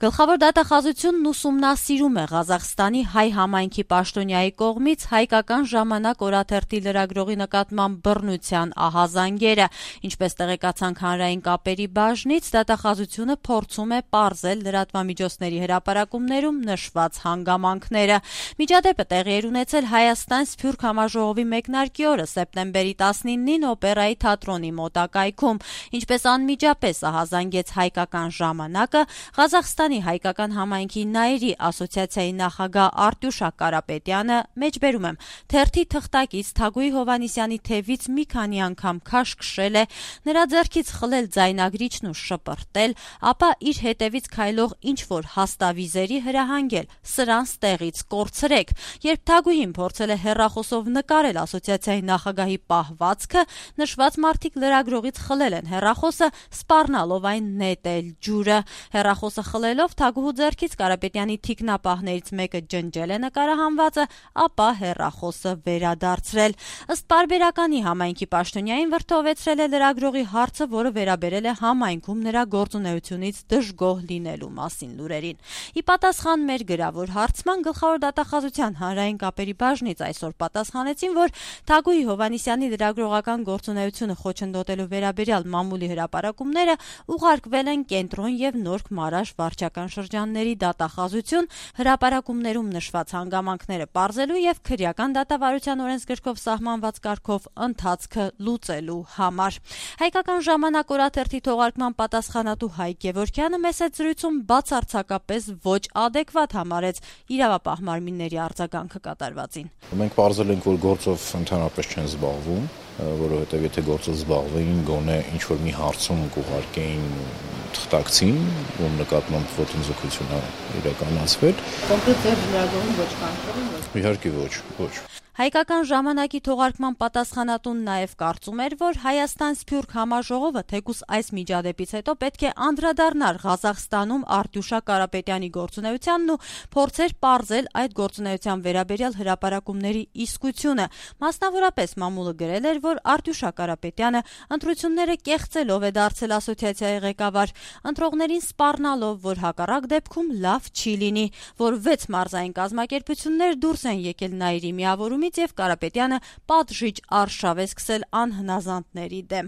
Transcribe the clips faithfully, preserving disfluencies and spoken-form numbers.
Գլխավոր դատախազությունն ուսումնասիրում է Ղազախստանի հայ համայնքի պաշտոնյայի կողմից հայկական ժամանակ օրաթերթի լրագրողի նկատմամբ բռնության ահազանգերը։ Ինչպես տեղեկացանք հանրային կապերի բաժնից, դատախազությունը փորձում է պարզել լրատվամիջոցների հրապարակումներում նշված հանգամանքները։ Միջադեպը տեղի էր ունեցել Հայաստան Սփյուռք համաժողովի մեկնարկի օրը սեպտեմբերի տասնինին օպերայի թատրոնի մոտակայքում։ Ինչպես անմիջապես ահազանգեց հայկական ժամանակը, Ղազախստանի հայկական համայնքի նայերի ասոցիացիայի նախագահ Արտյուշա Կարապետյանը, մեջբերում եմ, թերթի թղթակից Թագուհի Հովհաննիսյանի թևից մի քանի անգամ քաշքշել է, նրա ձեռքից խլել ձայնագրիչն ու շպրտել, ապա իր հետևից քայլող ինչ-որ հաստավիզերի հրահանգել, սրանց տեղից կորցրեք։ Երբ Թագուհին փորձել է հեռախոսով նկարել ասոցիացիայի նախագահի պահվածքը, նշված մարդիկ լրագրողից խլել են հեռախոսը, սպառնալով այն նետել ջուրը։ Հեռախոսը խլելով Թագուհու ձեռքից Կարապետյանի թիկնապահներից մեկը ջնջել է նկարահանվածը, ապա հեռախոսը վերադարձրել։ Ըստ պարբերականի համայնքի պաշտոնյային վրդովեցրել է լրագրողի հարցը, որը վերաբերել է համայնքում նրա գործունեությունից դժգոհ լինելու մասին լուրերին։ Ի պատասխան մեր գրավոր հարցման գլխավոր դատախազության հանրային կապերի բաժնից այսօր պատասխանեցին, որ Թագուհի Հովհաննիսյանի լրագրողական գործունեությունը խոչընդոտելու վերաբերյալ մամուլի հրապարակումները ուղարկվել են Կենտրոն եւ Նորք Մարաշ վարչական շրջանների դատախազություն հրապարակումներում նշված հանգամանքները պարզելու եւ քրեական դատավարության օրենսգրքով սահմանված կարգով ընթացքը լուծելու համար։ Հայկական ժամանակ օրաթերթի թողարկման պատասխանատու Հայկ Գևորգյանը մեծ զրույցում բացարձակապես ոչ ադեկվատ համարեց իրավապահ մարմինների արձագանքը կատարվածին։ Մենք պարզել ենք, որ գործով ընդհանրապես չեն զբաղվում, որովհետև եթե գործով զբաղվեին, գոնե ինչ-որ մի հարցում կուղարկեին թղթակցին, ում նկատմամբ ոտնձգություն է իրականացվել։ Կոնկրետ ձեր լրագրողին ոչ կանխել են։ Իհարկե ոչ, ոչ։ Հայկական ժամանակի թողարկման պատասխանատուն նաև կարծում էր, որ Հայաստան Սփյուռք համաժողովը թեկուզ այս միջադեպից հետո պետք է անդրադառնար Ղազախստանում Արտյուշա Կարապետյանի գործունեությանն ու փորձեր պարզել այդ գործունեության վերաբերյալ հրապարակումների իսկությունը։ Մասնավորապես մամուլը գրել էր, որ Արտյուշա Կարապետյանը ընտրությունները կեղծելով է դարձել ասոցիացիայի ղեկավար, ընտրողներին սպառնալով, որ հակառակ դեպքում լավ չի լինի, որ վեց մարզային կազմակերպություններ դուրս են եկել նայիրի միավորում եւ Կարապետյանը պատժիչ արշավ է սկսել անհնազանդների դեմ։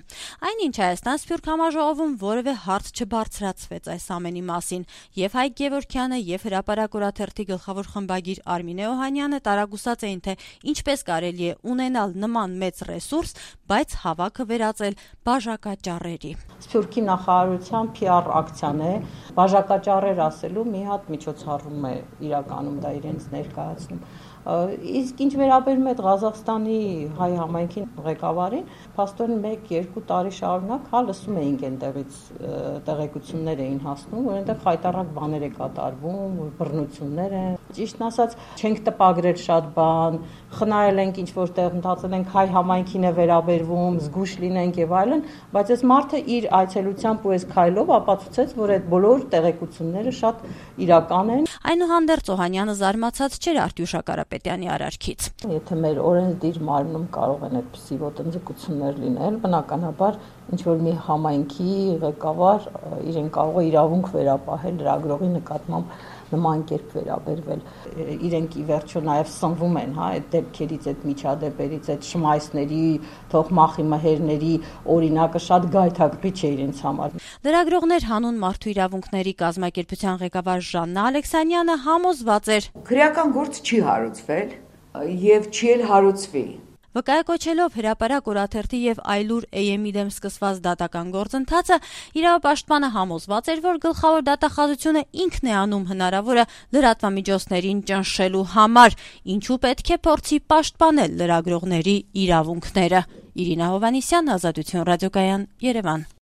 Այնինչ Հայաստան Սփյուռք համաժողովում որևէ հարց չբարձրացվեց այս ամենի մասին, եւ Հայկ Գևորգյանը եւ հրապարակ օրաթերթի գլխավոր խմբագիր Արմինե Օհանյանը տարագուսած էին, թե ինչպես կարելի է ունենալ նման մեծ ռեսուրս, բայց հավաքը վերածել բաժակաճառերի։ Սփյուռքի նախարարության Փի Ար ակցիան է, բաժակաճառեր ասելու մի հատ միջոցառում է իրականում դա իրենց ներկայացնում։ Իսկ ինչ վերաբերում է Ղազախստանի հայ համայնքի ղեկավարին, փաստորեն մեկ-երկու տարի շարունակ հա լսում էինք այնտեղից տեղեկություններ էին հասնում, որ այնտեղ խայտառակ բաներ է կատարվում, բռնություններ են։ Ճիշտն ասած, չենք տպագրել շատ բան, խնայել ենք ինչ որտեղ մտածել ենք հայ համայնքին է վերաբերվում, զգուշ լինենք եւ այլն, բայց այս մարդը իր այցելությամբ ու այս քայլով ապացուցեց, որ այդ բոլոր տեղեկությունները շատ իրական են։ Այնուհանդերձ Օհանյանը զարմացած չէր Արտյուշա Կարապետյանի արարքից։ Եթե մեր օրենսդիր մարմնում կարող են այդպիսի ոտնձգություններ լինել, բնականաբար ինչ որ մի համայնքի ղեկավար իրեն կարող է իրավունք վերապահել լրագրողի նկատմամբ նման կերպ վերաբերվել։ Իրենք ի վերջո նաև սնվում են, հա, այդ դեպքերից, այդ միջադեպերից, այդ շմայսների, թող մախի մհերների օրինակը շատ գայթակղիչ է իրենց համար։ Լրագրողներ հանուն մարդու իրավունքների կազմակերպության ղեկավար Ժաննա Ալեքսանյանը համոզված էր. Քրեական գործ չի հարուցվել եւ չի էլ հարուցվի։ Վկայակոչելով հրապարակ օրաթերթի եւ Այլուր Էյ Էմ-ի դեմ սկսված դատական գործընթացը, իրավապաշտպանը համոզված էր, որ գլխավոր դատախազությունը ինքն է անում հնարավորը լրատվամիջոցներին ճնշելու համար, ինչու պետք է փորձի պաշտպանել լրագրողների իրավունքները։ Իրինա Հովհաննիսյան, Ազատություն ռադիոկայան, Երևան։